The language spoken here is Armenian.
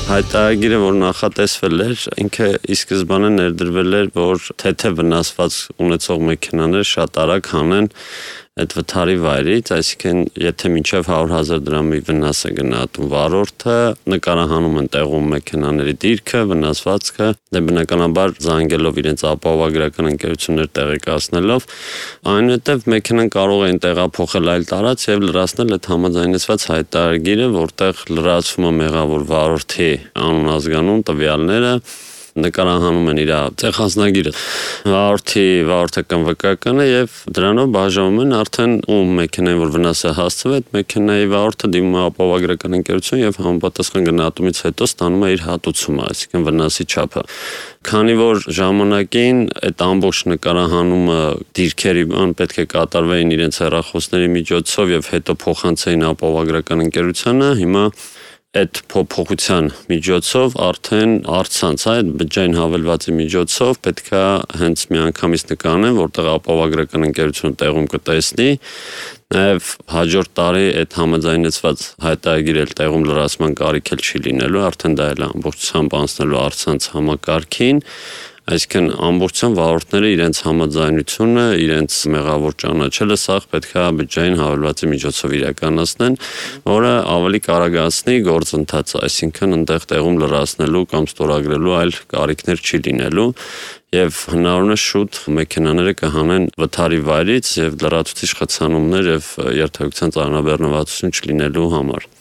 Հայտարարագիրը, որ նախատեսվել էր, ինքը ի սկզբանե ներդրվել էր, որ թեթև վնասված ունեցող մեքենաներ շատ արագ հանեն այդ վթարի վայրից, այսինքն եթե մինչև 100,000 դրամի վնաս է գնահատում վարորդը, նկարահանում են տեղում մեքենաների դիրքը, վնասվածքը, բնականաբար զանգելով իրենց ապահովագրական ընկերություններ տեղեկացնելով, այնուհետև մեքենան կարող են տեղափոխել այլ տարած եւ լրացնել այդ համաձայնեցված հայտարարագիրը, որտեղ լրացվում է մեղավոր վարորդի անուն ազգանուն տվյալները, նկարահանում են իր ցեղանձնագիրը, վարորդական վկայականը եւ դրանով բաժանում են արդեն ում մեքենային որ վնաս է հասցվել, այդ մեքենայի վարորդը դիմում է ապահովագրական ընկերություն եւ համապատասխան գնահատումից հետո ստանում է իր հատուցումը, այսինքն վնասի չափը։ Քանի որ ժամանակին այդ ամբողջ նկարահանումը դիրքերի պետք է կատարվեին իրենց հեռախոսների միջոցով եւ հետո փոխանցեին ապահովագրական ընկերությանը, հիմա այդ փոփոխության միջոցով արդեն առցանց այդ բջջային հավելվածի միջոցով պետքա հենց միանգամից նկարեն, որտեղ ապահովագրական ընկերությունը տեղում կտեսնի, նաև հաջորդ տարի այդ համաձայնեցված հայտարարագիրը տեղում լրացման կարիք չի լինելու, արդեն դա էլ ամբողջությամբ անցնելու առցանց համակարգին, այսինքն ամբողջությամբ վարորդները իրենց համաձայնությունը, իրենց մեղավոր ճանաչելը սա պետքա բջջային հավելվածի միջոցով իրականացնեն, որը ավելի կարագացնի գործընթացը, այսինքն այնտեղ տեղում լրացնելու կամ ստորագրելու այլ կարիքներ չի լինելու եւ հնարավորինս շուտ մեքենաները կհանեն վթարի վայրից եւ լրացուցիչ խցանումներ եւ երթևեկության ծանրաբեռնվածություն չլինելու համար։